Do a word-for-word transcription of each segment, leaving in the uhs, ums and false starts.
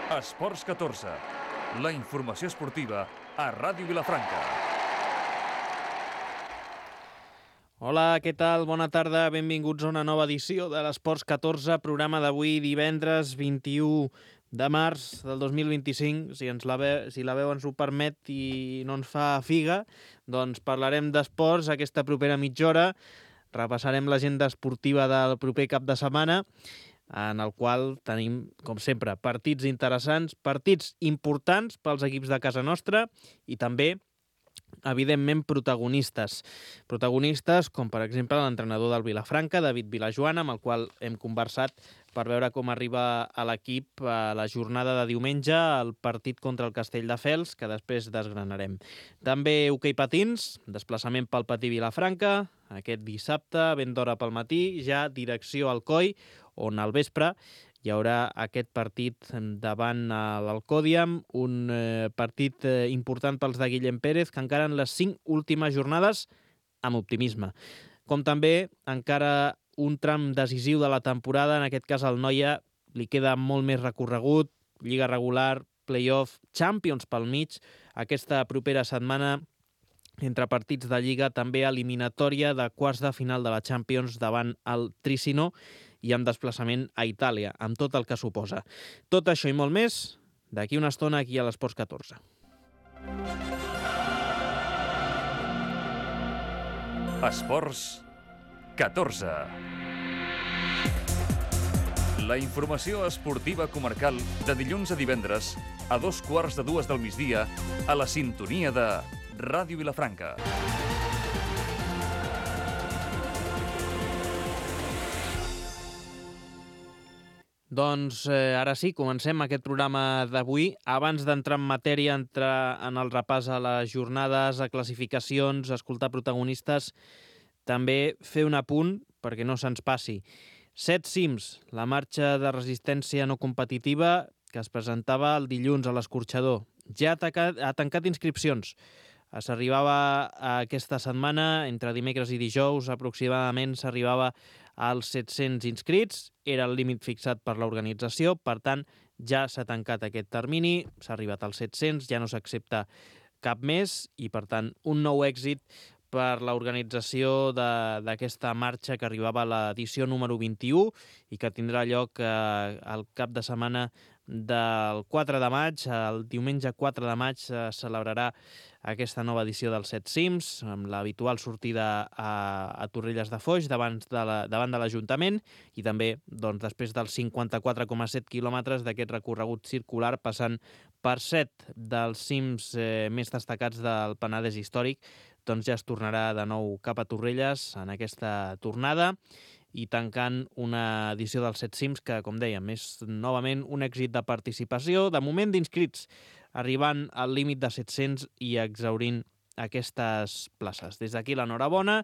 Esports catorze, la informació esportiva a Ràdio Vilafranca. Hola, què tal? Bona tarda, benvinguts a una nova edició de l'Esports catorze, programa d'avui divendres vint-i-u de març del dos mil vint-i-cinc. Si, ens la, ve, si la veu ens ho permet i no ens fa figa, doncs parlarem d'esports aquesta propera mitja hora. Repassarem l'agenda esportiva del proper cap de setmana, en el qual tenim, com sempre, partits interessants, partits importants pels equips de casa nostra i també, evidentment, protagonistes. Protagonistes com, per exemple, l'entrenador del Vilafranca, David Vilajoana, amb el qual hem conversat per veure com arriba a l'equip a la jornada de diumenge el partit contra el Castelldefels, que després desgranarem. També hoquei patins, desplaçament pel Patí Vilafranca, aquest dissabte, ben d'hora pel matí, ja direcció al Coi, on al vespre hi haurà aquest partit davant l'Alcòdiam, un eh, partit eh, important pels de Guillem Pérez, que encara en les cinc últimes jornades amb optimisme. Com també encara un tram decisiu de la temporada, en aquest cas al Noia li queda molt més recorregut, lliga regular, play-off, Champions pel mig, aquesta propera setmana entre partits de Lliga, també eliminatòria de quarts de final de la Champions davant el Tricino i amb desplaçament a Itàlia, amb tot el que suposa. Tot això i molt més, d'aquí una estona aquí a l'Esports catorze. Esports catorze. La informació esportiva comarcal de dilluns a divendres a dos quarts de dues del migdia a la sintonia de Ràdio Vilafranca. Doncs eh, ara sí, comencem aquest programa d'avui. Abans d'entrar en matèria, entrar en el repàs a les jornades, a classificacions, a escoltar protagonistes, també fer un apunt perquè no se'ns passi. Set cims, la marxa de resistència no competitiva que es presentava el dilluns a l'Escorxador. Ja ha tancat, ha tancat inscripcions. S'arribava aquesta setmana, entre dimecres i dijous, aproximadament s'arribava als set-cents inscrits, era el límit fixat per l'organització, per tant, ja s'ha tancat aquest termini, s'ha arribat als set-cents, ja no s'accepta cap més i, per tant, un nou èxit per l'organització d'aquesta marxa que arribava a l'edició número vint-i-u i que tindrà lloc eh, el cap de setmana del quatre de maig. El diumenge quatre de maig se celebrarà aquesta nova edició dels Set Cims, amb l'habitual sortida a, a Torrelles de Foix davant de la, davant de l'Ajuntament i també doncs, després dels cinquanta-quatre coma set quilòmetres d'aquest recorregut circular, passant per set dels cims eh, més destacats del Penedès històric, doncs ja es tornarà de nou cap a Torrelles en aquesta tornada i tancant una edició dels Set Cims que, com dèiem, és novament un èxit de participació, de moment d'inscrits, arribant al límit de set-cents i exhaurint aquestes places. Des d'aquí l'enhorabona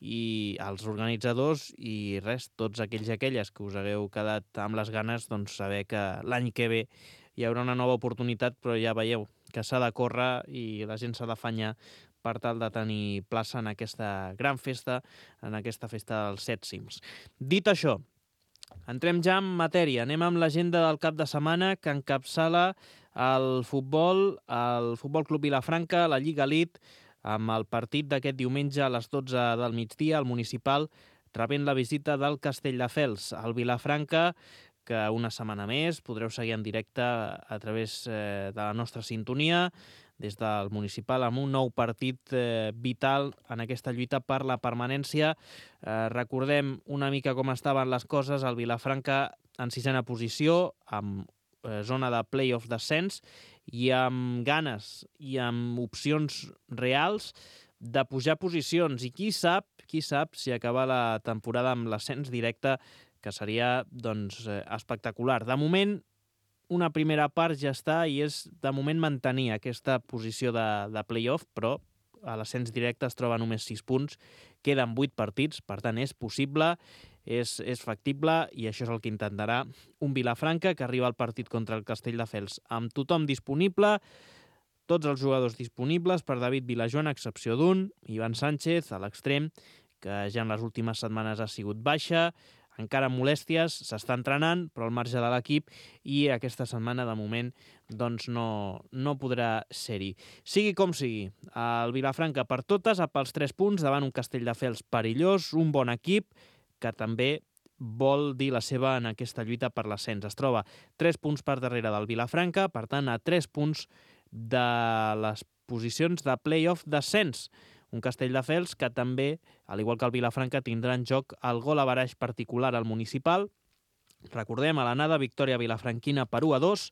i als organitzadors i res, tots aquells i aquelles que us hagueu quedat amb les ganes, doncs saber que l'any que ve hi haurà una nova oportunitat, però ja veieu que s'ha de córrer i la gent s'ha d'afanyar per tal de tenir plaça en aquesta gran festa, en aquesta festa dels Set Cims. Dit això, entrem ja en matèria. Anem amb l'agenda del cap de setmana que encapçala el futbol, el Futbol Club Vilafranca, la Lliga Elite, amb el partit d'aquest diumenge a les dotze del migdia, al Municipal, rebent la visita del Castelldefels. El Vilafranca, que una setmana més podreu seguir en directe a través eh, de la nostra sintonia, des del Municipal, amb un nou partit eh, vital en aquesta lluita per la permanència. Eh, recordem una mica com estaven les coses. El Vilafranca en sisena posició, amb eh, zona de play-off descens i amb ganes i amb opcions reals de pujar posicions. I qui sap, qui sap si acaba la temporada amb l'ascens directe, que seria doncs, espectacular. De moment, una primera part ja està i és de moment mantenir aquesta posició de, de play-off, però a l'ascens directe es troba només sis punts, queden vuit partits, per tant és possible, és, és factible i això és el que intentarà un Vilafranca que arriba al partit contra el Castelldefels amb tothom disponible, tots els jugadors disponibles per David Vilajoana, a excepció d'un, Ivan Sánchez, a l'extrem, que ja en les últimes setmanes ha sigut baixa, encara amb molèsties, s'està entrenant, però al marge de l'equip, i aquesta setmana, de moment, doncs no, no podrà ser-hi. Sigui com sigui, el Vilafranca per totes, a pels tres punts, davant un Castelldefels perillós, un bon equip, que també vol dir la seva en aquesta lluita per l'ascens. Es troba tres punts per darrere del Vilafranca, per tant, a tres punts de les posicions de play-off d'ascens. Un Castelldefels que també, al igual que el Vilafranca, tindrà en joc el gol a baraix particular al municipal. Recordem, a l'anada, victòria vilafranquina per u a dos.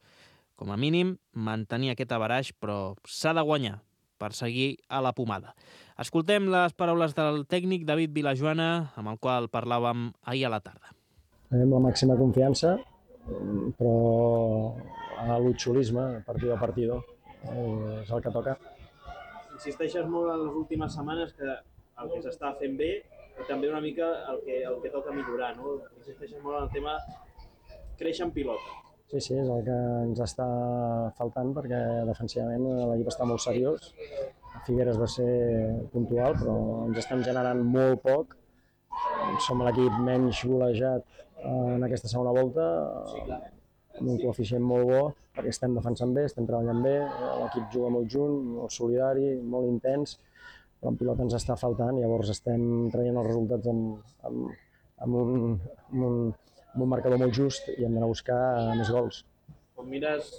Com a mínim, mantenir aquest avaraix, però s'ha de guanyar per seguir a la pomada. Escoltem les paraules del tècnic David Vilajoana, amb el qual parlàvem ahir a la tarda. Tenim la màxima confiança, però a l'utxolisme, partido a partido, és el que toca. Insisteixes molt en les últimes setmanes que el que s'està fent bé i també una mica el que, el que toca millorar, no? Insisteixes molt en el tema créixer en pilota. Sí, sí, és el que ens està faltant perquè defensivament l'equip està molt seriós. Figueres va ser puntual, però ens estem generant molt poc. Som l'equip menys golejat en aquesta segona volta, amb un coeficient molt bo, perquè estem defensant bé, estem treballant bé, l'equip juga molt junt, molt solidari, molt intens, però en pilota ens està faltant, llavors estem traient els resultats amb, amb, amb, un, amb, un, amb un marcador molt just i hem d'anar a buscar més gols. Quan mires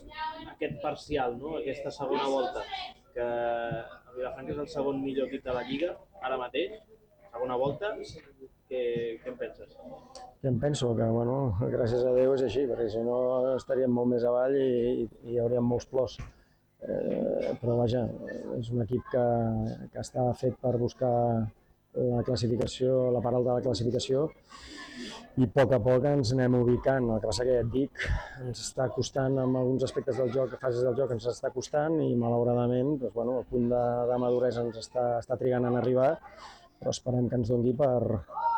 aquest parcial, no? Aquesta segona volta, que el Vilafranca és el segon millor equip de la Lliga, ara mateix, segona volta, què, què en penses? Què em penso? Que, bueno, gràcies a Déu és així, perquè si no estaríem molt més avall i, i hi hauríem molts plors. Eh, però vaja, és un equip que, que està fet per buscar la classificació, la part alta de la classificació, i a poc a poc ens anem ubicant. El que passa que ja et dic, ens està costant amb alguns aspectes del joc, fases del joc ens està costant i malauradament doncs, bueno, el punt de, de maduresa ens està, està trigant en arribar, però esperem que ens doni per,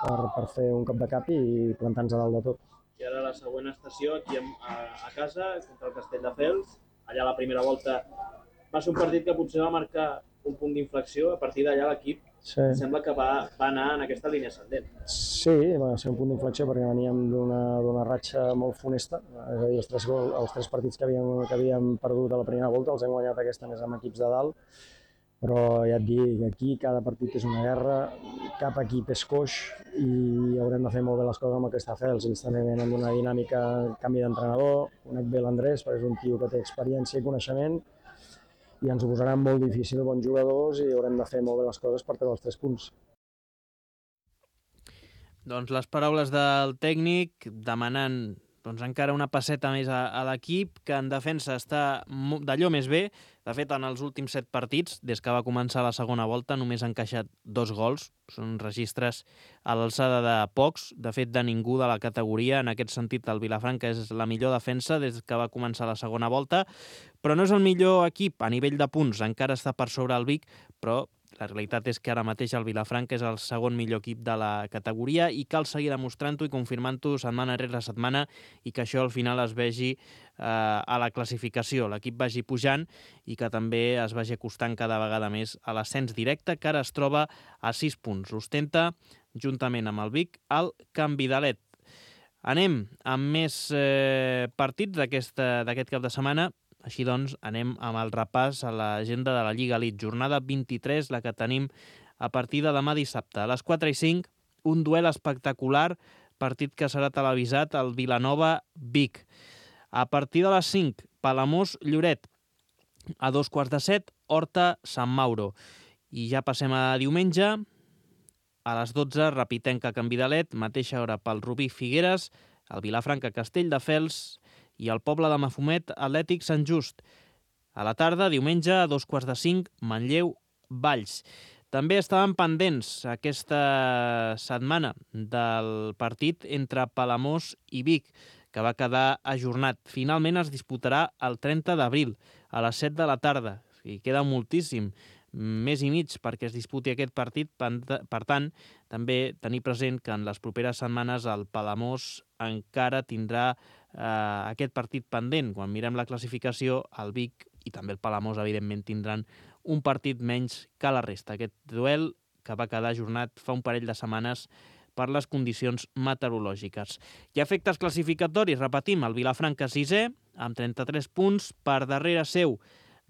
per, per fer un cop de cap i plantar-nos a dalt de tot. I ara la següent estació, aquí a, a casa, contra el Castelldefels. Allà la primera volta va ser un partit que potser va marcar un punt d'inflexió. A partir d'allà l'equip sí. Sembla que va, va anar en aquesta línia ascendent. Sí, va ser un punt d'inflexió perquè veníem d'una ratxa molt funesta. És a dir, els tres, gol, els tres partits que havíem, que havíem perdut a la primera volta els hem guanyat aquesta més amb equips de dalt. Però ja et dic, aquí cada partit és una guerra, cap equip és coix i haurem de fer molt bé les coses amb el Castelldefels. Ells també venen d'una dinàmica, canvi d'entrenador, conec bé l'Andrés perquè és un tio que té experiència i coneixement i ens ho posaran molt difícil, bons jugadors, i haurem de fer molt bé les coses per treure els tres punts. Doncs les paraules del tècnic demanant doncs encara una passeta més a, a l'equip, que en defensa està d'allò més bé. De fet, en els últims set partits, des que va començar la segona volta, només ha encaixat dos gols. Són registres a l'alçada de pocs, de fet de ningú de la categoria. En aquest sentit, el Vilafranca és la millor defensa des que va començar la segona volta, però no és el millor equip a nivell de punts. Encara està per sobre el Vic, però la realitat és que ara mateix el Vilafranca és el segon millor equip de la categoria i cal seguir demostrant-ho i confirmant-ho setmana rere setmana i que això al final es vegi eh, a la classificació, l'equip vagi pujant i que també es vagi acostant cada vegada més a l'ascens directe, que ara es troba a sis punts. L'ostenta, juntament amb el Vic, al Can Vidalet. Anem amb més eh, partits d'aquest cap de setmana. Així doncs, anem amb el repàs a l'agenda de la Lliga Elite. Jornada vint-i-tres, la que tenim a partir de demà dissabte. A les quatre i cinc, un duel espectacular, partit que serà televisat al Vilanova-Vic. A partir de les cinc, Palamós-Lloret. A dos quarts de set, Horta-Sant Mauro. I ja passem a diumenge. A les dotze, Repitenca Can Vidalet, mateixa hora pel Rubí Figueres, el Vilafranca Castelldefels i el Poble de Mafumet Atlètic Sant Just. A la tarda, diumenge, a dos quarts de cinc, Manlleu Valls. També estaven pendents aquesta setmana del partit entre Palamós i Vic, que va quedar ajornat. Finalment es disputarà el trenta d'abril, a les set de la tarda. I queda moltíssim, més i mig perquè es disputi aquest partit. Per tant, també tenir present que en les properes setmanes el Palamós encara tindrà eh, aquest partit pendent. Quan mirem la classificació, el Vic i també el Palamós, evidentment, tindran un partit menys que la resta. Aquest duel que va quedar ajornat fa un parell de setmanes per les condicions meteorològiques. I a efectes classificatoris, repetim, el Vilafranca sisè, amb trenta-tres punts, per darrere seu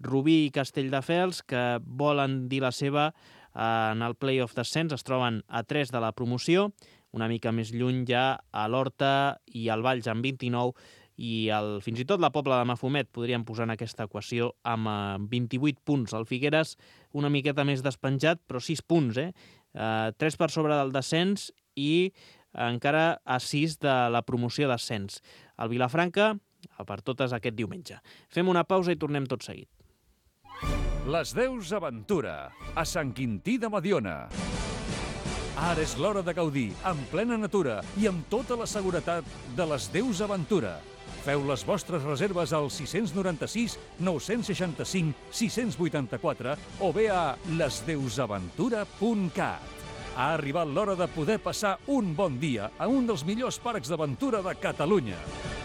Rubí i Castelldefels, que volen dir la seva en el play-off d'ascens, es troben a tres de la promoció, una mica més lluny ja a l'Horta i al Valls amb vint-i-nou, i el, fins i tot la Pobla de Mafumet podríem posar en aquesta equació amb eh, vint-i-vuit punts. El Figueres una miqueta més despenjat, però sis punts, eh? eh tres per sobre del descens i encara a sis de la promoció d'ascens. El Vilafranca, per totes aquest diumenge. Fem una pausa i tornem tot seguit. Les Deus Aventura, a Sant Quintí de Mediona. Ara és l'hora de gaudir, en plena natura i amb tota la seguretat de les Deus Aventura. Feu les vostres reserves al sis nou sis, nou sis cinc, sis vuit quatre o bé a les deus aventura punt cat. Ha arribat l'hora de poder passar un bon dia a un dels millors parcs d'aventura de Catalunya.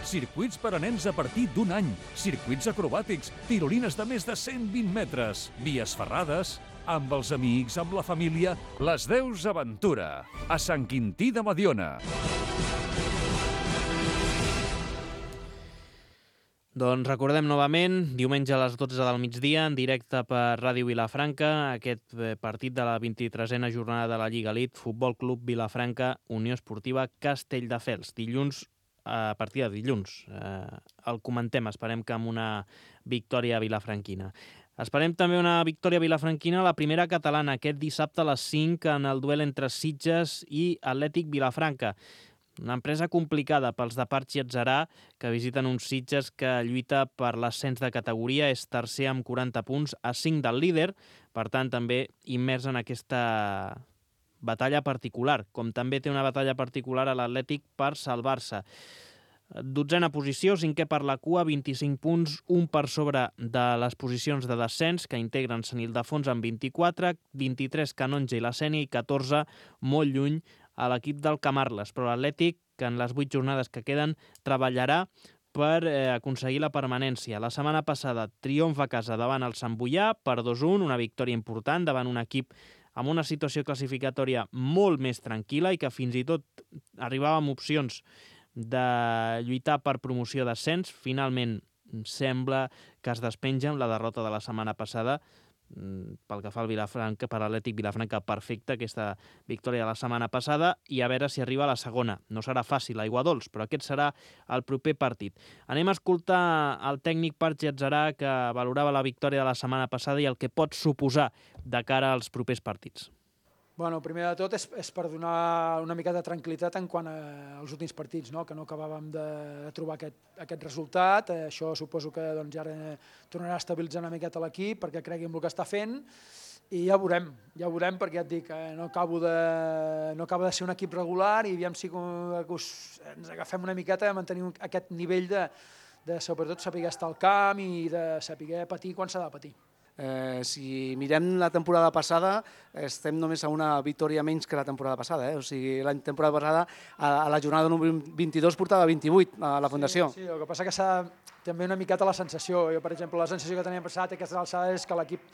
Circuits per a nens a partir d'un any, circuits acrobàtics, tirolines de més de cent vint metres, vies ferrades, amb els amics, amb la família, les Deus Aventura, a Sant Quintí de Mediona. Doncs recordem novament, diumenge a les dotze del migdia, en directe per Ràdio Vilafranca, aquest partit de la vint-i-tresena jornada de la Lliga Elite, Futbol Club Vilafranca, Unió Esportiva Castelldefels. Dilluns, a partir de dilluns, eh, el comentem, esperem que amb una victòria vilafranquina. Esperem també una victòria vilafranquina a la primera catalana, aquest dissabte a les cinc en el duel entre Sitges i Atlètic Vilafranca. Una empresa complicada pels de Parchi i Atzarà, que visiten uns Sitges que lluita per l'ascens de categoria, és tercer amb quaranta punts, a cinc del líder, per tant també immers en aquesta batalla particular, com també té una batalla particular a l'Atlètic per salvar-se. Dotzena posició, cinquè per la cua, vint-i-cinc punts, un per sobre de les posicions de descens, que integren Sant Ildefons amb vint-i-quatre, vint-i-tres Canonja i la Sénia i catorze, molt lluny, a l'equip del Camarles, però l'Atlètic, que en les vuit jornades que queden, treballarà per eh, aconseguir la permanència. La setmana passada, triomf a casa davant el Sant Boià per dos a un, una victòria important davant un equip amb una situació classificatòria molt més tranquil·la i que fins i tot arribava amb opcions de lluitar per promoció d'ascens. Finalment sembla que es despenja amb la derrota de la setmana passada. Pel que fa al Vilafranca, per l'Atlètic Vilafranca, perfecta aquesta victòria de la setmana passada, i a veure si arriba a la segona. No serà fàcil, aigua dolç, però aquest serà el proper partit. Anem a escoltar el tècnic Parchi Atzarà, que valorava la victòria de la setmana passada i el que pot suposar de cara als propers partits. Bueno, primer de tot és, és per donar una mica de tranquil·litat en quant als últims partits, no? Que no acabàvem de trobar aquest, aquest resultat. Eh, això suposo que doncs, ara tornarà a estabilitzar una miqueta l'equip perquè cregui en el que està fent i ja veurem, ja veurem perquè ja et dic, eh, no, acabo de, no acaba de ser un equip regular i aviam si us, ens agafem una miqueta a mantenir aquest nivell de, de sobretot saber estar al camp i de saber patir quan s'ha de patir. Eh, si mirem la temporada passada, estem només a una victòria menys que la temporada passada. Eh? O sigui, la temporada passada, a, a la jornada número vint-i-dos, portava vint-i-vuit a la Fundació. Sí, sí, el que passa que s'ha també una miqueta la sensació. Jo, per exemple, la sensació que tenia passat a aquestes alçades és que l'equip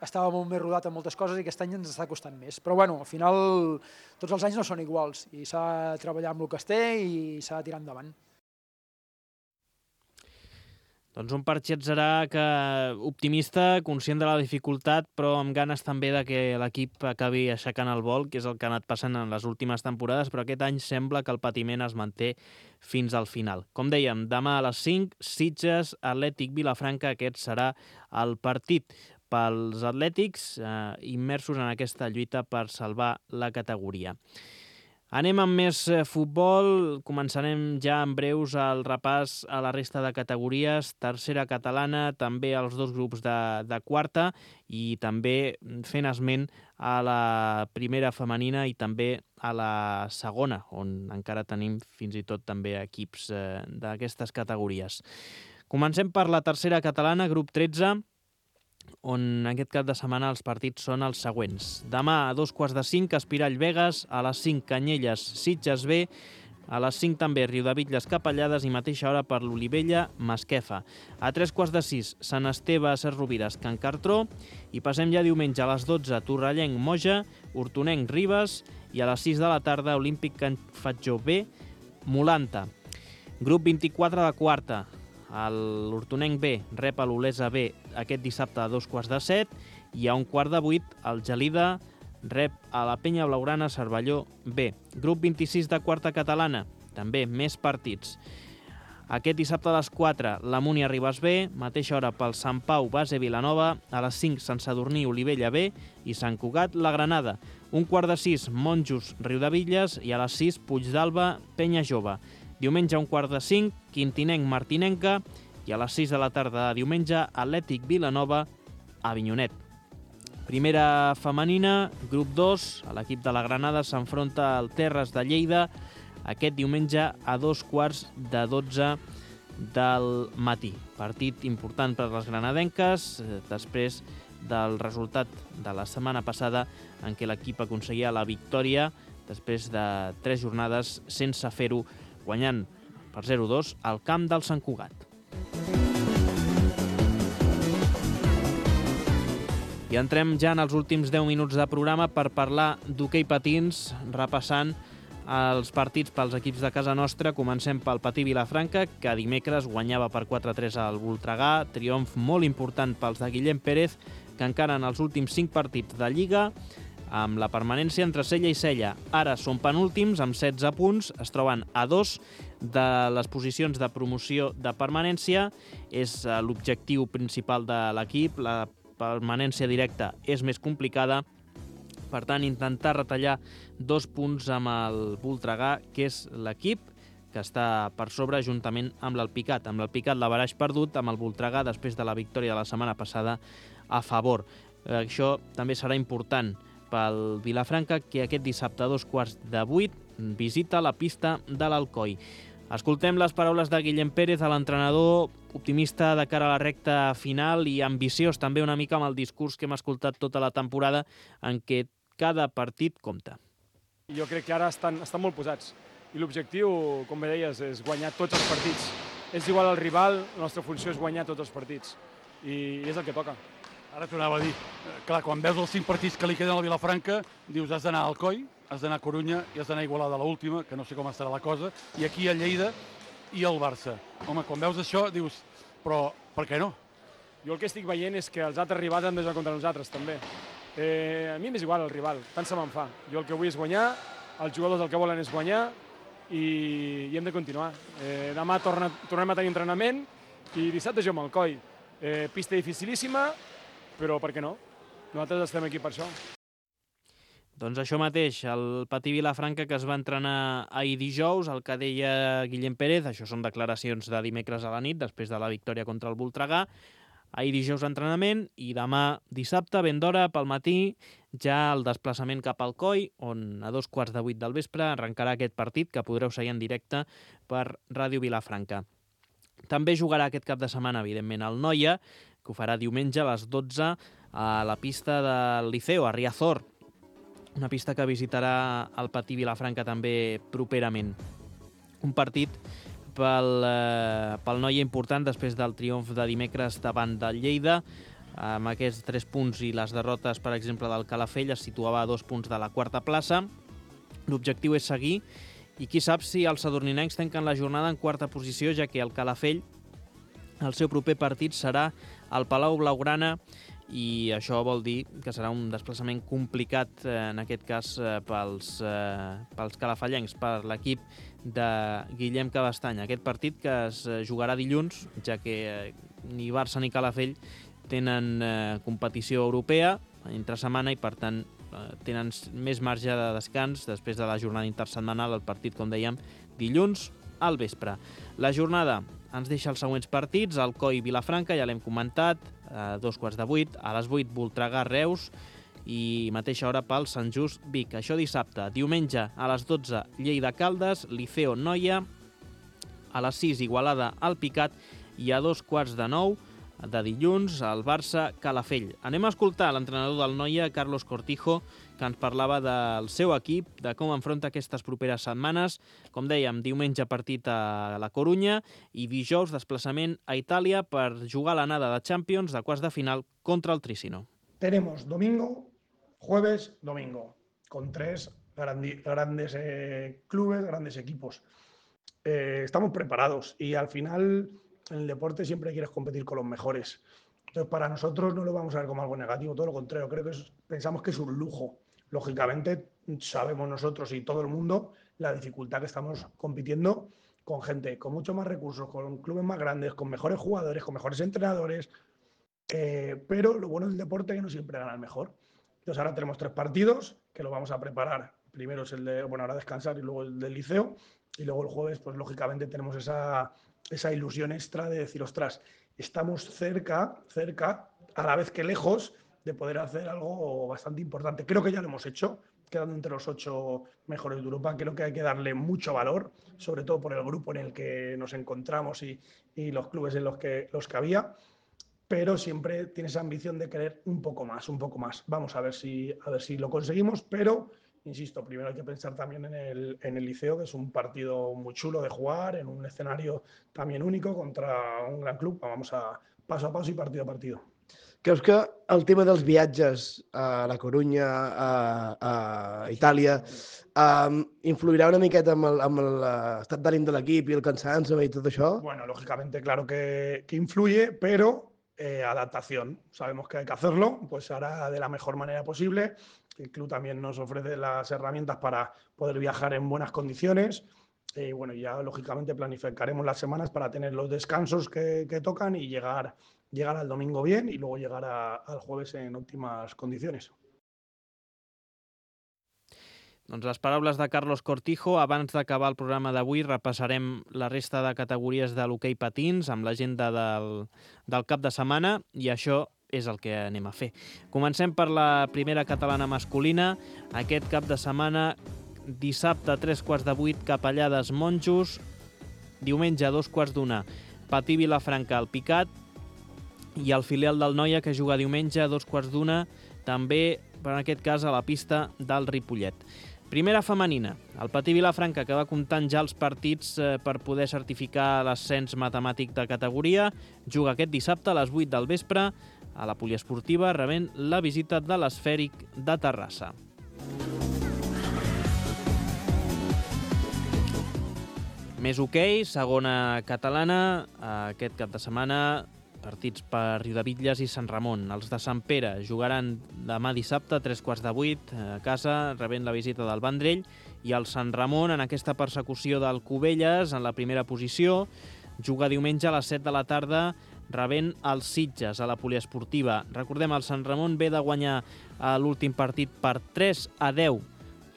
estava molt més rodat en moltes coses i aquest any ens està costant més. Però bueno, al final tots els anys no són iguals i s'ha de treballar amb el que es té i s'ha de tirar endavant. Doncs un Parchi Atzarà que optimista, conscient de la dificultat, però amb ganes també de que l'equip acabi aixecant el vol, que és el que ha anat passant en les últimes temporades, però aquest any sembla que el patiment es manté fins al final. Com dèiem, demà a les cinc, Sitges, Atlètic Vilafranca, aquest serà el partit pels atlètics eh, immersos en aquesta lluita per salvar la categoria. Anem amb més futbol, començarem ja en breus el repàs a la resta de categories, tercera catalana, també als dos grups de, de quarta i també fent esment a la primera femenina i també a la segona, on encara tenim fins i tot també equips eh, d'aquestes categories. Comencem per la tercera catalana, grup tretze, on aquest cap de setmana els partits són els següents. Demà a dos quarts de cinc, Espirall Begues, a les cinc Canyelles Sitges B, A les cinc també Riudebitlles Capellades i mateixa hora per l'Olivella Masquefa. A tres quarts de sis Sant Esteve a Ses Rovires Can Cartró i passem ja diumenge a les dotze Torrellenc Moja, Hortonenc Ribes i a les sis de la tarda Olímpic Can Fatjó B, Molanta. Grup vint-i-quatre de quarta. L'Hortonenc B rep a l'Olesa B aquest dissabte a dos quarts de set i a un quart de vuit el Gelida rep a la Penya Blaugrana Cervelló B. Grup vint-i-sis de quarta catalana, també més partits. Aquest dissabte a les quatre, la Múnia Ribes B, mateixa hora pel Sant Pau Base Vilanova, a les cinc Sant Sadurní Olivella B i Sant Cugat La Granada. Un quart de sis Monjos Riudebitlles i a les sis Puigdàlber Penya Jove. Diumenge a un quart de cinc Quintinenc Martinenca i a les sis de la tarda de diumenge Atlètic Vilanova Avinyonet. Primera femenina, grup dos, l'equip de la Granada s'enfronta al Terres de Lleida aquest diumenge a dos quarts de dotze del matí. Partit important per a les granadenques, després del resultat de la setmana passada en què l'equip aconseguia la victòria després de tres jornades sense fer-ho, guanyant per zero a dos al camp del Sant Cugat. I entrem ja en els últims deu minuts de programa per parlar d'hoquei patins, repassant els partits pels equips de casa nostra. Comencem pel Patí Vilafranca, que dimecres guanyava per quatre a tres al Voltregà. Triomf molt important pels de Guillem Pérez, que encara en els últims cinc partits de Lliga, amb la permanència entre cella i cella. Ara són penúltims, amb setze punts, es troben a dos de les posicions de promoció de permanència. És l'objectiu principal de l'equip, la permanència directa és més complicada, per tant intentar retallar dos punts amb el Voltregà, que és l'equip que està per sobre juntament amb l'Alpicat. Amb l'Alpicat l'averaix perdut, amb el Voltregà després de la victòria de la setmana passada a favor. Això també serà important pel Vilafranca, que aquest dissabte a dos quarts de vuit visita la pista de l'Alcoi. Escoltem les paraules de Guillem Pérez, l'entrenador, optimista de cara a la recta final i ambiciós també una mica amb el discurs que hem escoltat tota la temporada, en què cada partit compta. Jo crec que ara estan, estan molt posats i l'objectiu, com bé deies, és guanyar tots els partits. És igual al rival, la nostra funció és guanyar tots els partits i és el que toca. Ara t'ho anava a dir, clar, quan veus els cinc partits que li queden al Vilafranca, dius has d'anar a Alcoi, has d'anar a Corunya i has d'anar a Igualada a l'última, que no sé com estarà la cosa, i aquí a Lleida i al Barça. Home, quan veus això dius, però per què no? Jo el que estic veient és que els altres rivals han de jugar contra nosaltres també. Eh, a mi m'és igual el rival, tant se me'n fa. Jo el que vull és guanyar, els jugadors el que volen és guanyar i, i hem de continuar. Eh, demà torna, tornem a tenir entrenament i dissabte jo amb Alcoi. Eh, pista dificilíssima, però per què no? Nosaltres estem aquí per això. Doncs això mateix, el Patí Vilafranca, que es va entrenar ahir dijous, el que deia Guillem Pérez, això són declaracions de dimecres a la nit, després de la victòria contra el Voltregà. Ahir dijous entrenament i demà dissabte, ben d'hora, pel matí, ja el desplaçament cap al Coi, on a dos quarts de vuit del vespre arrencarà aquest partit, que podreu seguir en directe per Ràdio Vilafranca. També jugarà aquest cap de setmana, evidentment, el Noia, que ho farà diumenge a les dotze a la pista del Liceo, a Riazor, una pista que visitarà el Patí Vilafranca també properament. Un partit pel, eh, pel Noia important després del triomf de dimecres davant del Lleida. Amb aquests tres punts i les derrotes, per exemple, del Calafell, es situava a dos punts de la quarta plaça. L'objectiu és seguir i qui sap si els sadurninencs tanquen la jornada en quarta posició, ja que el Calafell, el seu proper partit serà al Palau Blaugrana, i això vol dir que serà un desplaçament complicat, eh, en aquest cas eh, pels, eh, pels calafellencs, per l'equip de Guillem Cabestany. Aquest partit que es jugarà dilluns, ja que eh, ni Barça ni Calafell tenen eh, competició europea entre setmana i per tant eh, tenen més marge de descans després de la jornada intersetmanal, el partit, com dèiem, dilluns al vespre. La jornada ens deixa els següents partits: Alcoi Vilafranca, ja l'hem comentat, a dos quarts de vuit, a les vuit Voltregà Reus i mateixa hora pel Sant Just Vic. Això dissabte. Diumenge a les dotze Lleida Caldes, Liceo Noia, a les sis Igualada Alpicat i a dos quarts de nou de dilluns, el Barça-Calafell. Anem a escoltar l'entrenador del Noia, Carlos Cortijo, que ens parlava del seu equip, de com enfronta aquestes properes setmanes. Com dèiem, diumenge partit a la Corunya i dijous desplaçament a Itàlia per jugar l'anada de Champions de quarts de final contra el Tricino. Tenemos domingo, jueves, domingo, con tres grandi- grandes eh, clubes, grandes equipos. Eh, estamos preparados y al final en el deporte siempre quieres competir con los mejores. Entonces, para nosotros no lo vamos a ver como algo negativo, todo lo contrario, creo que es, pensamos que es un lujo. Lógicamente, sabemos nosotros y todo el mundo la dificultad que estamos compitiendo con gente con mucho más recursos, con clubes más grandes, con mejores jugadores, con mejores entrenadores, eh, pero lo bueno del deporte es que no siempre gana el mejor. Entonces, ahora tenemos tres partidos que lo vamos a preparar. Primero es el de, bueno, ahora descansar y luego el del Liceo. Y luego el jueves, pues lógicamente tenemos esa, esa ilusión extra de decir, ostras, estamos cerca, cerca, a la vez que lejos, de poder hacer algo bastante importante. Creo que ya lo hemos hecho, quedando entre los ocho mejores de Europa. Creo que hay que darle mucho valor, sobre todo por el grupo en el que nos encontramos y, y los clubes en los que, los que había. Pero siempre tienes esa ambición de querer un poco más, un poco más. Vamos a ver si, a ver si lo conseguimos, pero... Insisto, primero hay que pensar también en el, en el Liceo, que es un partido muy chulo de jugar, en un escenario también único contra un gran club. Vamos a paso a paso i partido a partido. Creus que el tema dels viatges a la Corunya, a, a Itàlia, um, influirà una miqueta amb l'estat d'ànim de l'equip i el cansancio i tot això? Bueno, lógicamente, claro que, que influye, pero eh, adaptación. Sabemos que hay que hacerlo, pues hará de la mejor manera posible. El club también nos ofrece las herramientas para poder viajar en buenas condiciones. Y bueno, ya lógicamente planificaremos las semanas para tener los descansos que, que tocan y llegar, llegar al domingo bien y luego llegar a, al jueves en óptimas condiciones. Doncs les paraules de Carlos Cortijo. Abans d'acabar el programa d'avui repassarem la resta de categories de l'hoquei patins amb l'agenda del, del cap de setmana i això és el que anem a fer. Comencem per la primera catalana masculina. Aquest cap de setmana, dissabte a tres quarts de vuit, Capellades Monjos. Diumenge a dos quarts d'una, Patí Vilafranca al Picat. I el filial del Noia, que juga diumenge a dos quarts d'una, també, per en aquest cas, a la pista del Ripollet. Primera femenina, el Patí Vilafranca, que va comptant ja els partits eh, per poder certificar l'ascens matemàtic de categoria, juga aquest dissabte a les vuit del vespre a la poliesportiva, rebent la visita de l'Esfèric de Terrassa. Més hoquei, segona catalana, aquest cap de setmana, partits per Riudebitlles i Sant Ramon. Els de Sant Pere jugaran demà dissabte a tres quarts de vuit a casa, rebent la visita del Vendrell, i el Sant Ramon, en aquesta persecució del Cubelles, en la primera posició, juga diumenge a les set de la tarda, rebent els Sitges a la poliesportiva. Recordem, el Sant Ramon ve de guanyar l'últim partit per tres a deu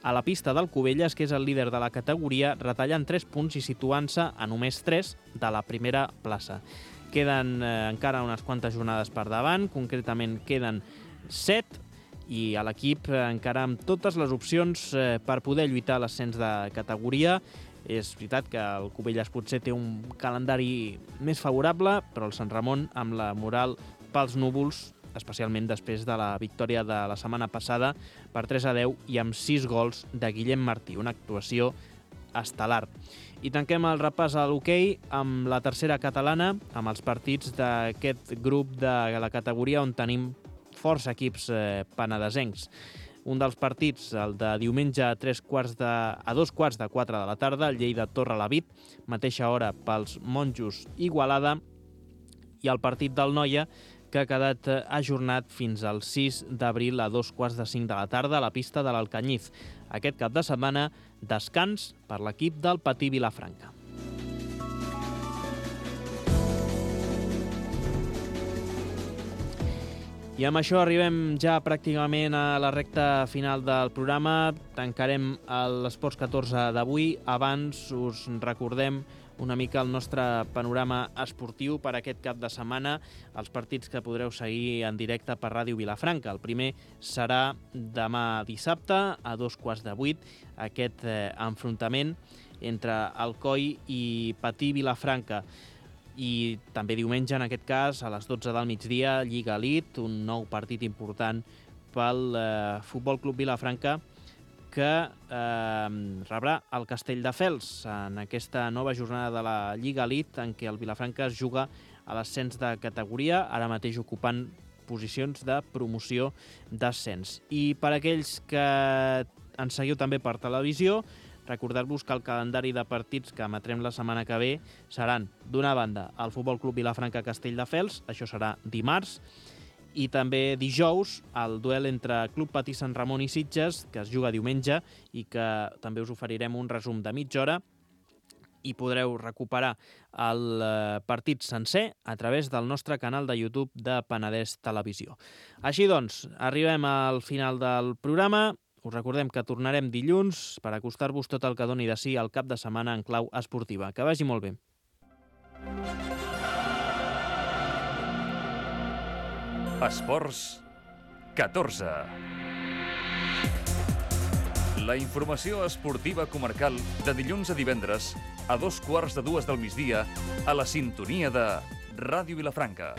a la pista del Cubelles, que és el líder de la categoria, retallant tres punts i situant-se a només tres de la primera plaça. Queden eh, encara unes quantes jornades per davant, concretament queden set, i a l'equip eh, encara amb totes les opcions eh, per poder lluitar l'ascens de categoria. És veritat que el Cubelles potser té un calendari més favorable, però el Sant Ramon amb la moral pels núvols, especialment després de la victòria de la setmana passada per tres a deu i amb sis gols de Guillem Martí, una actuació estel·lar. I tanquem el repàs a l'hoquei amb la tercera catalana, amb els partits d'aquest grup de la categoria on tenim força equips eh, penedesencs. Un dels partits, el de diumenge a, tres quarts de, a dos quarts de quatre de la tarda, el Lleida Torrelavit, mateixa hora pels Monjos Igualada, i el partit del Noia, que ha quedat ajornat fins al sis d'abril a dos quarts de cinc de la tarda a la pista de l'Alcanyiz. Aquest cap de setmana, descans per l'equip del Patí Vilafranca. I amb això arribem ja pràcticament a la recta final del programa. Tancarem l'Esports catorze d'avui. Abans us recordem una mica el nostre panorama esportiu per aquest cap de setmana, els partits que podreu seguir en directe per Ràdio Vilafranca. El primer serà demà dissabte a dos quarts de vuit, aquest eh, enfrontament entre Alcoi i Patí Vilafranca. I també diumenge, en aquest cas, a les dotze del migdia, Lliga Elite, un nou partit important pel eh, Futbol Club Vilafranca, que eh, rebrà el Castelldefels en aquesta nova jornada de la Lliga Elite, en què el Vilafranca es juga a l'ascens de categoria, ara mateix ocupant posicions de promoció d'ascens. I per aquells que ens seguiu també per televisió, recordar-vos que el calendari de partits que emetrem la setmana que ve seran, d'una banda, el Futbol Club Vilafranca Castelldefels, això serà dimarts, i també dijous el duel entre Club Patí Sant Ramon i Sitges, que es juga diumenge i que també us oferirem un resum de mitja hora, i podreu recuperar el partit sencer a través del nostre canal de YouTube de Penedès Televisió. Així doncs, arribem al final del programa. Us recordem que tornarem dilluns per acostar-vos tot el que doni de si al cap de setmana en clau esportiva. Que vagi molt bé. Esports catorze. La informació esportiva comarcal de dilluns a divendres a dos quarts de dues del migdia a la sintonia de Ràdio Vilafranca.